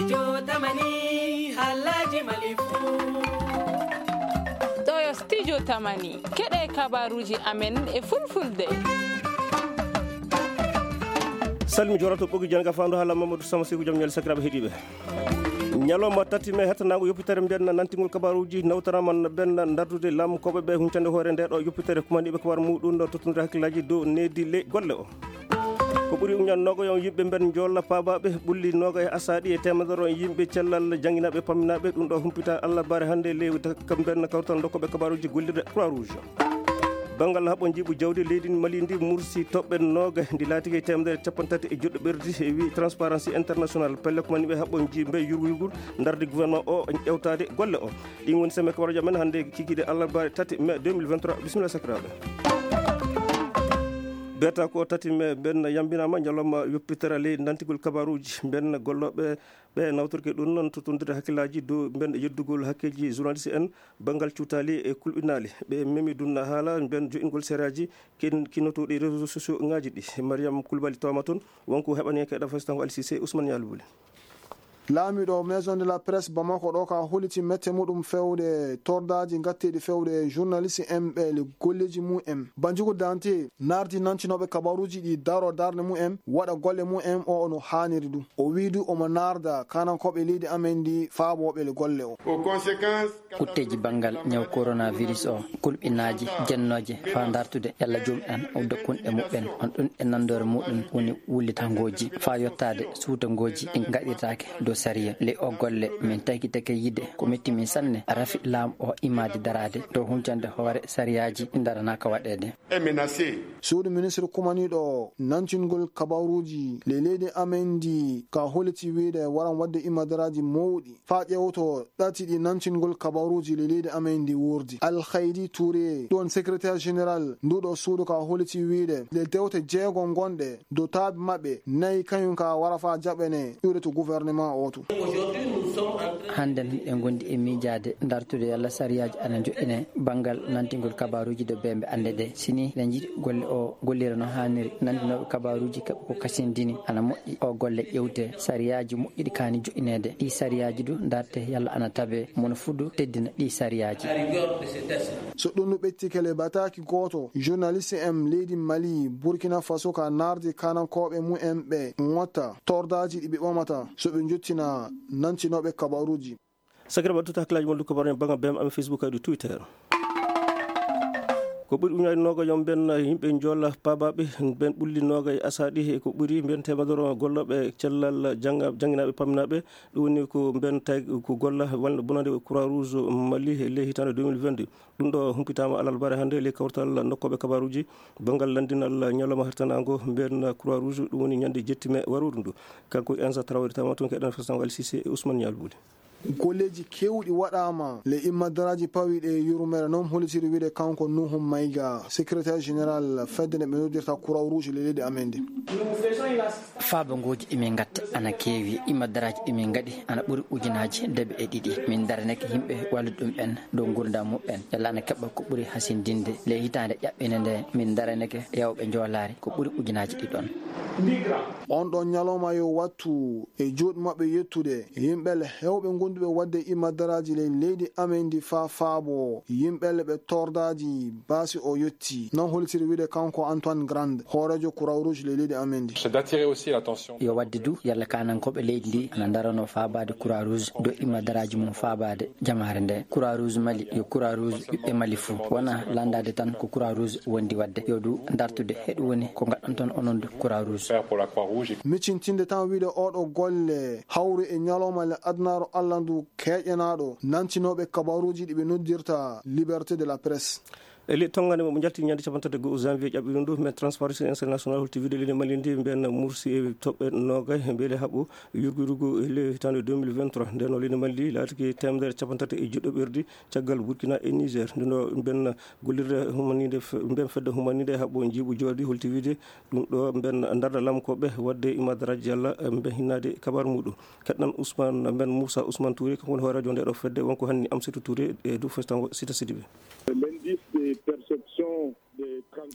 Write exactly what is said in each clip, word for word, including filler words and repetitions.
Jotamani, Alhaji Malifu. Ɗo yo Studio Tamani. Keɗe kabaruuji amen e fulfulde. Salmi jorato ɓogi janga fandu hala Mamadou Sama Seku jam ñal sakiraɓe heɗiɓe. Ñalawma tati me hettanago yoppitere mbenna nantingol kabaruuji nawtarama mbenna dardude lam koɓe ɓe huncande hoore nde ɗo yoppitere kumaniɓe kabar muɗum ɗo tottodira hakkillaji dow nedi ley golle o. Ko ɓuri uñan nogoyon yimɓe mben joolla paabaɓe ɓulli noga e asaaɗi e temedere on yimɓe cellal janginaɓe pamminaɓe ɗum ɗo humpita Allah bare hannde lewta kam mben kawtal dokkoɓe kabaruji gollirde Croix Rouge. Banngal haɓo jiiɓu jawdi leydi Mali ndi mursi toɓɓe noga ndi laatike temedere capanɗe tati e juɗɗo ɓerdi e wi Transparency International pelle ko mani ɓe haɓo jiiɓe yurgu yurgur darde gouvernement o ƴewtade golle o. Ɗin woni semme kabaruji amen hannde kikiɗe Allah bare tati mai deux mille vingt-trois. Bisimilla sakiraɓe. Beta ko tati me ɓen yambinama ñalawma yoppitere ley nantigol kabaruji ɓen golloɓe ɓe nawtorke ɗum noon tottondire hakkillaji dow ɓen yeddugol hakkeji journaliste en banngal cuutali e kulɓinali ɓe memi ɗum haala ɓen jo'ingol sereaji ken kinotoɗi réseau sociaux ngaji ɗi. Mariam Kulbali tawama toon wonko heɓani en keɗa fasitango alsise Ousmane Yalbuli. Laamiɗo Maison de la Presse Bamako ɗo ka holiti mette muɗum fewde tordaaji gatteeɗi fewde journaliste en ɓe le golleeji mum en. Banjugu Dante nardi nantinooɓe kabaruuji ɗi daro darnde mum en waɗa golle mum en o no haaniri ɗum. O wii du omo narda kanankooɓe leydi amen ndi faabooɓe le golle o. Aux conséquences Kutteeji banngal ñaw coronavirus o, kulɓinaaji jennooje faa dartude yalla joomum en udda kunɗe muɓɓen, on ɗum e nanndoore muɗum woni wullitangooji faa yottaade suutangooji ɗi ngaɗirtaake dow sariya. Ley o golle min tagitake yiide ko metti min sanne rafi laamu o imaade daraade dow huncande hoore sariyaaji ɗi ndaranaaka waɗeede. Est menacé. Suudu ministre kumaniiɗo nantingol kabaruuji ley leydi amen ndi ka holiti wiide waran waɗde imadaraaji mawɗi faa ƴeewto ɗati ɗi nantingol kabaruuji ley leydi amen ndi wuurdi. Alhaydi Touré ɗon secrétaire général nduɗo suudu ka holiti wiide le dewte jeego ngonɗe dow taabi maɓɓe nayi kañum ka wara faa jaɓane ƴuude to gouvernement o to. Hannden en ngondi e miijaade dartude yalla sariyaaji ana joƴƴine banngal nantingol kabaruuji dow bembe annde ɗe. Sini eɗen njiɗi golle o gollira no haaniri, nantinooɓe kabaruuji kaɓe ko kasindini ana moƴƴi o golle ƴewte sariyaaji moƴƴiɗi kaani joƴƴineede. Ɗi sariyaaji du darte yalla ana tabe mono fuu du teddina ɗi sariyaaji. So ɗum no ɓettike le bataaki gooto journaliste en leydi Mali, Burkina Faso ka nardi kanankooɓe mum en ɓe ŋotta tordaaji ɗi ɓe ɓamata so ɓe njottina nantinooɓe kabaruuji. Sakira ɓattuta hakkillaji mon du kabaru en banngal bem amen Facebook kadi Twitter. Ko ɓuri uñaji noga yon ben yimɓe jolla pabaɓe ben ɓulli noga e asaɗi e ko ɓuri ben temedoro golloɓe cellal janga janginaɓe paminaɓe. Ɗum woni ko ben tay ko golla walla bonande Croix Rouge Mali e ley hitande deux mille vingt-deux. Ɗum ɗo humpitama alarba hannde ley kawtal nokkoɓe kabaruji banngal lanndinal ñalawma hertanago ben Croix Rouge, ɗum woni ñande jetti mai waruru ndu. Kanko Ensa Traoré tama toon keɗen fesango Alsise e Ousmane Ñalbuli. Golleeji keewɗi waɗaama le immadaraaji pawiiɗe e yurmeere, noon hollitiri wiyde kanko Nuhu Mayga, secrétaire général fedde nde ɓe noddirta Croix Rouge le leydi amen ndi. Faabangooji ɗi min ngatta ana keewi, immadaraaji ɗi min ngaɗi ana ɓuri ujunaaji deɓe e ɗiɗi. Min daranake yimɓe wallude ɗum ɓen dow nguurndam muɓɓen, yalla ana keɓa ko ɓuri hasindinde. Le hitaande ƴaɓɓinde nde, min daranake yawɓe njoolaari ko ɓuri ujunaaji ɗiɗon. On ɗon ñalawma yo wattu e juuɗe maɓɓe yettude yimɓe le heewɓe ngonduɓe waɗde immadaraaji le leydi amen ndi faa faabo yimɓe le ɓe tordaaji baasi o yetti. Noon hollitiri wiyde kanko Antoine Grand, hooreejo Croix Rouge le leydi amen ndi. C'est d'attirer aussi l'attention. Yo waɗde du yalla kaanankooɓe leydi ndi ana ndarano faabaade Croix Rouge dow immadaraaji mum faabaade jamaare nde. Croix Rouge Mali yo Croix Rouge ɓiɓɓe Mali fuu. Wona landaade tan ko Croix Rouge wondi waɗde. Yo du dartude heɗu woni ko ngaɗanton onon du Croix Rouge. Faire pour la Croix Rouge. Miccintinde tan wiyde oɗo golle hawri e ñalawma le adunaaru Allah ndu keƴanaaɗo nantinooɓe kabaruuji ɗi ɓe noddirta liberté de la presse. E ley tonngande mo jalti ñande capanɗe tati e go'o janvier ƴaɓɓiɗo ndu, mais Transparency International holti wiyde leydi Mali ndi mbiyen mursi e toɓɓe noogay e beele haɓɓo yurgu yurgu e ley hitaande deux mille vingt-trois. Nden o leydi Mali ndi laatiki teemedere capanɗe tati e juɗɗo ɓerdi caggal Burkina e Niger. Nde ɗo mbiyen gollirde humaninde fe-, mbiyen fedde humaninde e haɓɓo njiiɓu joordi holti wiyde ɗum ɗo mbiyen ndarda lamkoɓe waɗde imadaraaji yalla mbiyen hinnaade kabaru muɗum. Keɗɗan Ousmane mbiyen Moussa Ousmane Touré, kanko woni hooreejo nde ɗo fedde, wonko hanni Amsatou Touré e dow festango Sita Sidibé. L'indice de perception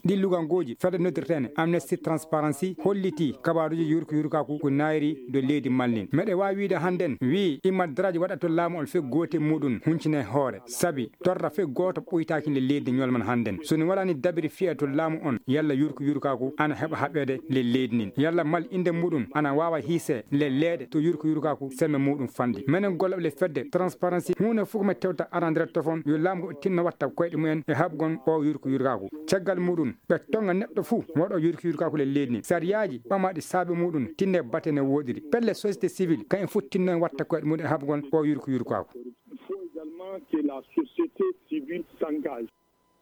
Ɗi luganguuji fedde noddirteene Amnesty Transparency hollitii kabaaruuji yurko yurkaaku ko naayri do leydi Mali. Meɗe waawi wiide hannden wii imma daraaji waɗa to laamu on fek goote muɗum huncine hoore. Sabi torra fek gooto ɓuytaaki le leydi ñolman hannden. So ni waɗani dabiri fiya to laamu on yalla yurko yurkaaku ana heɓa haɓeede le leydi nin. Yalla Mali innde muɗum ana waawa hiise le leeɗe to yurko yurkaaku semme muɗum fandi. Menen golle le fedde Transparency huune fof ko me tewta arandere tofon yo laamu o tinno watta koyɗe mumen e haɓgon o yurko yurkaaku. Caggal muɗum ɓe tonga neɗɗo fuu waɗo yurko yurkaaku le leydi ni. Sariyaaji ɓamaɗi saabe muɗum tinne bate ne woɗiri. Pelle société civile kayen fuu tinno en watta koyɗe muɗum e haɓgon o yurko yurkaaku. Il faut également que la société civile s'engage.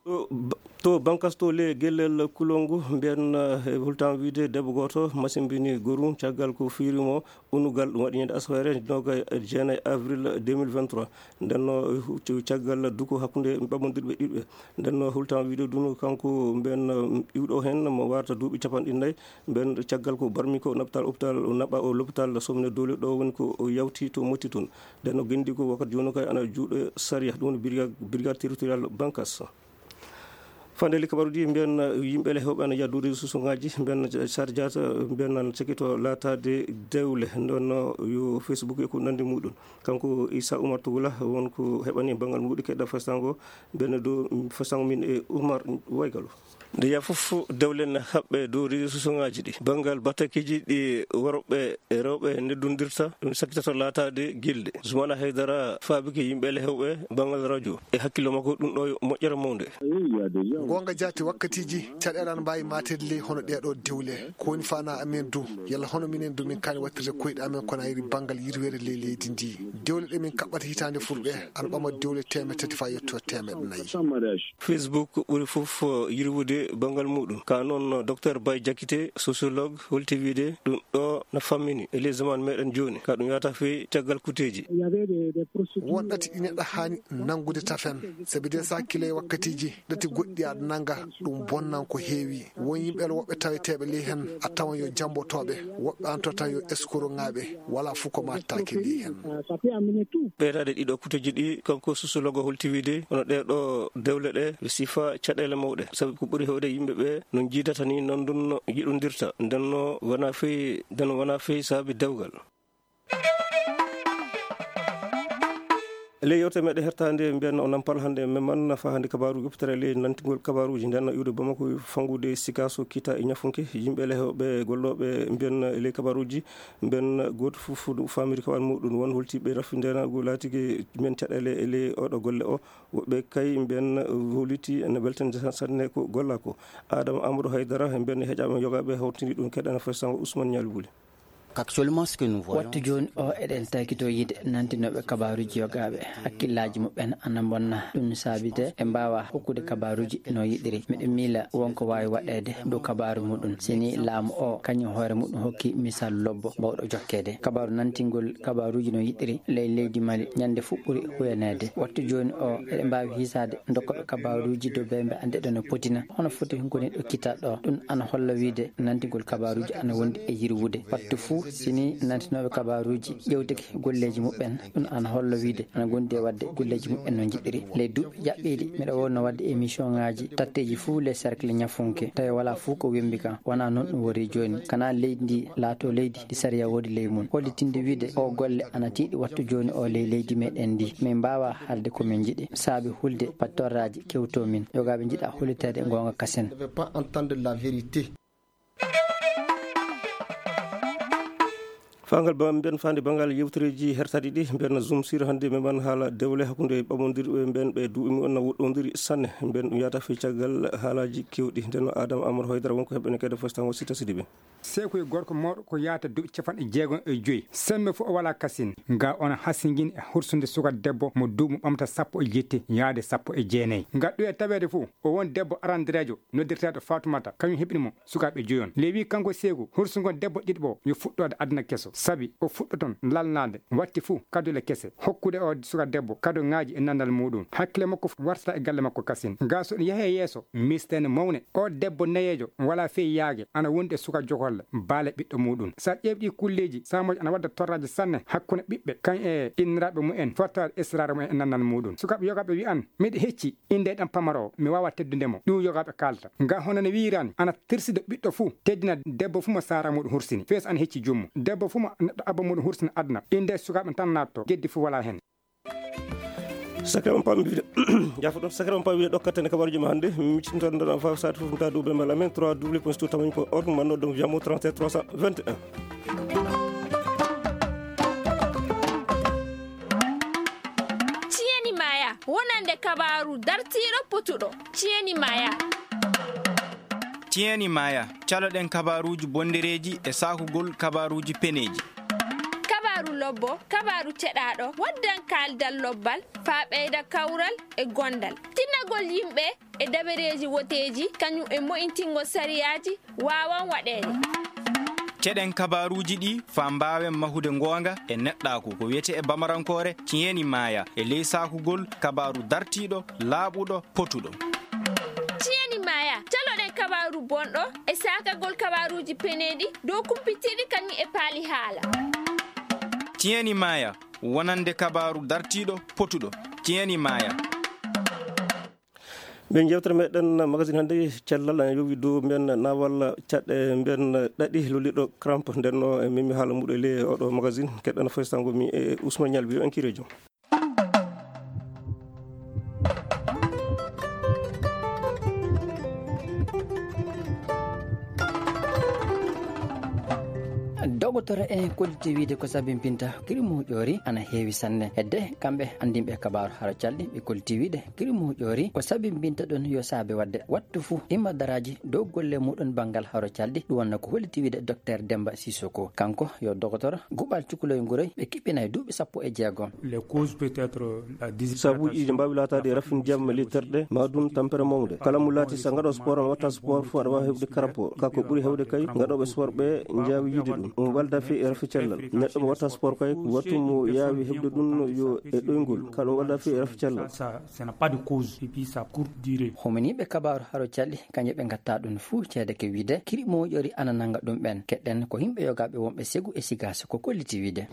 To ba- to bankas to le gellel kulongu mbiyan eh, hultan wiide debbo gooto masimbini gorum caggal ko fiirimo unugal ɗum waɗi ñande asawere noga e jeenayi avril deux mille vingt-trois. Ndenno hu- caggal duko hakkunde ɓamondirɓe ɗiɗɓe. Ndenno hultan wiide dunu kanko mbiyan eh, iwɗo hen mo warta duuɓi capanɗe nayyi. Mbiyan caggal ko barmi ko naɓtal hôpital naɓa o l'hôpital somne dole ɗo woni ko o yawti to motti toon. Ndenno gendi ko wakkati joni kay ana juuɗe sariya ɗum woni brigade brigade territorial bankas. Fande li kabaruji mbiyan yimɓe le hewɓe ana yaddude susuŋaji mbiyan sarjata mbiyan nan cekito laataade dewle ndonno yo facebook e ko nandi muɗum. Kanko isa oumar tugula won ko heɓani banngal muɗi keɗɗa fastango mbiyan dow fastango min e oumar waygalo. Nde yaa fof dewle ne haɓɓe dow réseau sociaux ŋaaji ɗi banngal batakiji ɗi worɓe e rewɓe neddondirta ɗum sakkitata laataade gilde. Zumana haydara faabike yimɓe le hewɓe banngal radio e hakkillo makko ɗum ɗo yo moƴƴere mawnde. Goonga jaati wakkatiiji caɗeele ana mbaawi maateede ley hono ɗee ɗoo dewle. Ko woni faanaa amen du? Yalla hono minen du min kaani waɗtirde koyɗe amen kono ayri banngal yirweede ley leydi ndi? Dewle ɗe min kaɓɓata hitaande fulɓe ana ɓama dewle teemeɗe tati faa yetto teemeɗe nayi. Facebook ɓuri fof yirwude banngal muɗum ka noon docteur bay jakite sociologue holti wiide ɗum ɗo na fammini e les zaman meɗen jooni ka ɗum yata fey caggal kuteji. Won ɗati ɗi neɗɗo haani nanngude tafen sabi de sa kile wakkatiji ɗati goɗɗi aɗa nannga ɗum bonnan ko heewi. Won yimɓe woɓɓe taweteeɓe ley heen a tawan yo jammbotooɓe woɓɓe an to tan yo eskorongaaɓe. Wala fof ko mattaaki ley heen. Ɓeydaade ɗiɗo kuteji ɗi kanko sosologo holti wiide hono ɗee ɗo dewle ɗe ɓe sifa caɗeele mawɗe sabu ko ɓuri heewde yimɓe ɓe no njiidata ni noon ɗum yiɗondirta ndenno wona fey nden wona fey saabi dewgal. E ley yewte meɗe hertande mbiyanno o nampal hannde memman nafa hannde kabaru yoptere ley nantigol kabaruji ndenno iwde bamako fangude sikaso kita e ñafunke yimɓe le hewɓe gollooɓe mbiyanno e ley kabaruji mbiyanno gooto fof no famiri kawal muɗum won holtiɓe rafi ndenago laatike mbiyan caɗele e ley oɗo golle o. Woɓɓe kay mbiyanno holiti ene weltande sanne ko golla ko. Adama amadou haydara mbiyanno heƴaɓe yogaɓe hawtini ɗum keɗana fo sango ousmane ñalbuli. Actuellement ce que nous voyons. Wattu jooni o eɗen taykito yiide nantinooɓe kabaaruuji yogaaɓe hakkillaaji muɓɓen ana mbonna ɗum saabide ɓe mbaawaa hokkude kabaaruuji no yiɗiri miɗo miila won ko waawi waɗeede dow kabaaru muɗum sini laamu o kañum hoore muɗum hokki misal lobbo mbawɗo jokkeede kabaaru nantingol kabaaruuji no yiɗiri ley leydi mali ñande fuɗɗuri huyaneede wattu jooni o eɗen mbaawi hiisaade dokkooɓe kabaaruuji dow bembe annde ɗo no potina hono foti hunko neɗɗo kittaɗo ɗum ana holla wiide nantigol kabaaruuji ana wondi e yirwude wattu fuu sini nantinooɓe kabaaruuji ƴewteke golleeji muɓɓen ɗum ana holla wiide ana gondi e waɗde golleeji muɓɓen no njiɗiri ley duuɓi ƴaɓɓiiɗi miɗo wonno waɗde émission ŋaaji tatteeji fuu les cercle ñafunke tawi wala fuu ko wembi kan wona noon ɗum wori jooni kana leydi ndi laato leydi ndi sariya woodi ley mum hollitinde wiide o golle ana tiiɗi wattu jooni o ley leydi meɗen ndi min mbawa haalde ko min njiɗi saabi hulde pattorraji kewto min yogaaɓe njiɗa holliteede goonga kasen. Pas entendre la vérité. Fangal ba mbiyan fande bangal yewtereji hertaɗi ɗi mbiyan zoom sur hannde meman haala dewle hakkunde ɓamondirɓe mbiyan ɓe duuɓi mumen na woɗɗodiri sanne mbiyan ɗum yata fii caggal haalaji kewɗi ndenno adama amadou haydara wonko heɓɓene kede fostan wasita sidi ɓe. Seekoy gorko mawɗo ko yaata duuɓi capanɗe jeegom e joyi semme fof o wala kasin nga ona hasingin e hursude suka debbo mo duuɓi ɓamta sappo e jetti yaade sappo e jeenayi nga ɗoya taweede fof o won debbo arandireejo noddirteeɗo fatumata kañum heɓini mo sukaaɓe joyon lewi kanko seegu hursugon debbo ɗiɗɓo yo fuɗɗoode aduna keso. Sabi o fuɗɗoton lalnaade watti fuu kadule kese, hokkude oo suka debbo kadoŋaaji e nandal muuɗum. Hakkile makko fu-, wartata e galle makko kasin. Gaa so ɗum yahee yeeso, miisteende mawne. Oo debbo nayeejo walaa fey yaage, ana wondi e suka jogolle, baale ɓiɗɗo muuɗum. Sa ƴeewi ɗii kulleeji, saamooji ana wadda torraaji sanne hakkunde ɓiɓɓe, kañ e inniraaɓe mumen, fottaade esiraaɓe mumen e nandal muuɗum. Sukaaɓe yogaaɓe wi'an, miɗo hecci innde ɗan pamaro, mi waawaa teddude mo. Ɗum yogaaɓe kaalata. Nga hono no wi'iraani, ana tirsido ɓiɗɗo fuu, teddina debbo fuu mo saara muuɗum hursini. Fees ana hecci jummo. Debbo fuu mo neɗɗo abba muuɗum hursini aduna. Innde sukaaɓe tan naatto, geddi fuu walaa hen. Sakre on pammi wiide, jafo ɗon, sakre on pammi wiide ɗokkatene kabaruji ma hannde. Miccintoɗen ɗon faw saati fof, mta duuɓe mbala men, trois w point stu tamañ point org, manno donc jamo trente-sept trois cent vingt et un. Ciyeni Maya, wonande kabaaru dartiiɗo potuɗo. Ciyeni Maya. Ciyeni Maya, caloɗen kabaaruuji bondereeji e saakugol kabaaruuji peneeji. Kabaaru lobbo, kabaaru ceɗaaɗo, waddan kaaldal lobbal, faa ɓeyda kawral e gondal. Tinnagol yimɓe e dabareeji woteeji, kañum e mo'intingol sariyaaji, waawan waɗeede. Ceɗen kabaaruuji ɗi faa mbaawen mahude ngoonga e neɗɗaaku, ko wiyetee e bamarankoore, ciyeni maya, e ley saakugol kabaaru dartiiɗo, laaɓuɗo, potuɗo. Ciyeni maya, caloɗen kabaaru bonɗo e saakagol kabaaruuji peneeɗi dow kumpitiiɗi kañum e paali haala. Ciyeni maya, wonande kabaaru dartiiɗo, potuɗo. Ciyeni maya. Mbiyen yewtere meɗen magazine hannde, cellal ana yowi dow mbiyen naawal caɗɗe mbiyen ɗaɗi lolliɗo crampe. Nden no e memi haala muɗum e ley oɗo magazine, keɗɗen foysango mi e Ousmane Nialbi, yo en kiire joom. Dogotoro en kolliti wiide ko sabimbinta kiri moƴƴoori ana heewi sanne. Hedde kamɓe anndinɓe kabaaru haro calɗi, ɓe kolliti wiide kiri moƴƴoori ko sabimbinta ɗon yo saabe waɗde wattu fuu imma daraaji dow golle muɗum banngal haro calɗi. Ɗum wonno ko holliti wiide Docteur Demba Sissoko. Kanko yo dogotoro guɓal cukuloy nguroy ɓe kiɓɓinay duuɓi sappo e jeego. Les causes peut être la déshydratation. Sabuuji ɗi mbaawi laataade e rafin ndiyam e litterɗe, maa ɗum tampere mawnde. Kala mo laati so ngaɗo sport, on watta sport fof aɗa waawi heɓde crampe. Ka ko ɓuri heewde kay, ngaɗooɓe sport ɓe njaawi yiide ɗum. Ɗum walda fii e rafi cellal. Neɗɗo mo watta sport kay, wattu mo yaawi heɓde ɗum yo e ɗoyngol. Ka ɗum walda fii e rafi cellal. Ça, ça, ça n'a pas de cause. Et puis ça court durée. Hominiiɓe kabaaru haro calɗi, kañe ɓe ngatta ɗum fuu ceede ke wiide, kiri moƴƴori ana nanga ɗum ɓen. Keɗɗen ko yimɓe yogaaɓe wonɓe Segu e Sigaas ko kolliti wiide.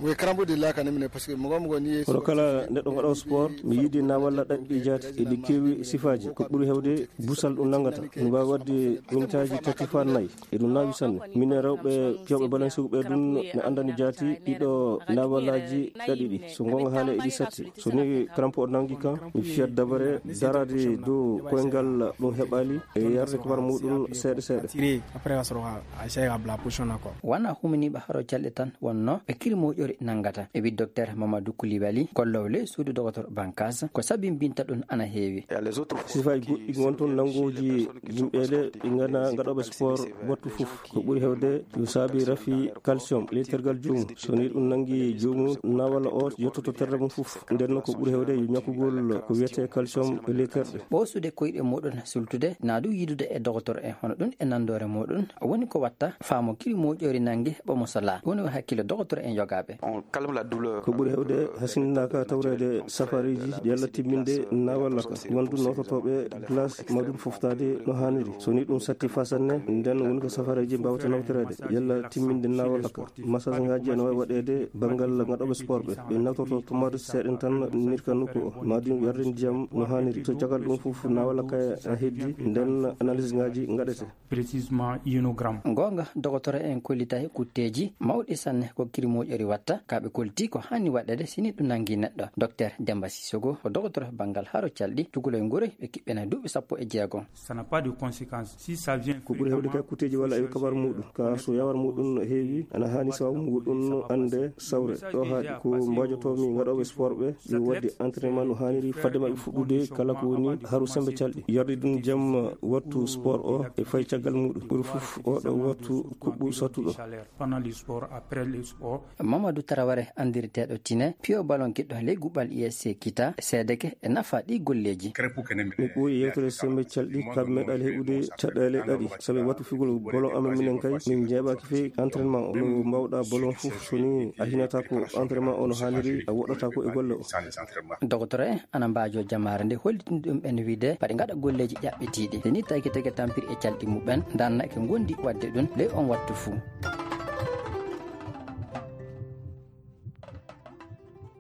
Kono kala neɗɗo ngaɗo sport, mi yiɗi na walla ɗaɗɗi jaati, eɗi keewi sifaaji. Ko ɓuri heewde busal ɗum nangata. Ɗum waawi waɗde mintaaji tati faa nayi. E ɗum naawi sanne. Minen rewɓe fiyooɓe balen Segu ɓe ɗum ne anndani jaati ɗiɗo naawalaaji ɗaɗi ɗi. So ngoonga haala eɗi satti. So ni crampe o nangi kan, mi fiyat dabare daraade dow koyngal ɗum heɓaali e yarde kabar muɗum seeɗa seeɗa. Tiré, après, on sera à essayer à la position encore. Wona huminiiɓe haro calɗi tan wonno ɓe kiri moƴƴori nanngata. E wi Docteur Mamadou Koulibaly, kolloowo ley suudu dogotoro Bankas, ko sabimbinta ɗum ana heewi. Sifaaji goɗɗi ngon toon nanngooji yimɓeele ɗi ngana ngaɗooɓe sport wattu fof. Ko ɓuri heewde yo saabi rafi calcium, lettergal joomum. So ni ɗum nanngi joomum, nawala o yottoto terɗe mum fof. Nden noon ko ɓuri heewde yo ñakkugol ko wiyetee calcium e letterɗe. Ɓoosude koyɗe muɗum sultude, naa du yiidude e dogotoro en, hono ɗum e nanndoore muɗum, woni ko watta faamo kiri moƴƴori nannge ɓamo salaa. Woni o hakkille dogotoro en yogaaɓe. On calme la douleur. Ko ɓuri heewde hasindinaaka tawreede safareeji yalla timminde nawala ka. Wondu nawtotooɓe glace ma ɗum foftaade no haaniri. So ni ɗum satti faa sanne, nden woni ko safareeji mbaawata nawtoreede yalla timminde nawala ka. Massage ngaaji ana waawi waɗeede banngal ngaɗooɓe sport ɓe. Ɓe nawtoto tomate seeɗen tan nirka nokku o. Ma ɗum yarde ndiyam no haaniri. So caggal ɗum fof nawala ka a heddi, nden analyse ngaaji ngaɗete. Précisément inogramme. Goonga, dogotoro en kollitay kutteeji mawɗi sanne ko kiri moƴƴori watta, ka ɓe kolliti ko haani waɗeede si ni ɗum nangi neɗɗo. Docteur Demba Sissoko, ko dogotoro banngal haro calɗi, cukalel ngure ɓe kiɓɓena duuɓi sappo e jeego. Ça n'a pas de conséquence. Si ça vient. Ko ɓuri heewde kay kutteeji walla e kabar muɗum. Ka so yawar muɗum heewi, ana haani sababu muɗum annde sawre. Ɗo haaɗi ko mbaajotoomi ngaɗooɓe sport ɓe, ɓe waɗde entraînement no haaniri fadde maɓɓe fuɗɗude kala ko woni haru sembe calɗi. Yarde ɗum jam wattu sport o e fay caggal muɗum. Ɓuri fof oɗo wattu kuɓɓu sattuɗo. Pendant le sport, après le sport. Mamadou Traoré, anndirteeɗo Tine, piyo balon kiɗɗo ley guɓal I S C Kita, seedeke e nafa ɗi golleeji. Mi ɓooyi yewtere sembe calɗi, ka mi meeɗaali heɓude caɗeele ɗaɗi. Sabi wattu figol bolon amen minen kay, min njeeɓaaki fey entraînement o. Mbawɗa bolon fof, so ni a hinata ko entraînement o no haaniri, a woɗɗata ko e golle o. Dogotoro en ana mbaajo jamaare nde, hollitin ɗum en wiide paɗe ngaɗa golleeji ƴaɓɓitiiɗi. Nde ni tagi tege tampiri e calɗi muɓɓen, ndanna ke ngondi waɗde ɗum ley on wattu fuu.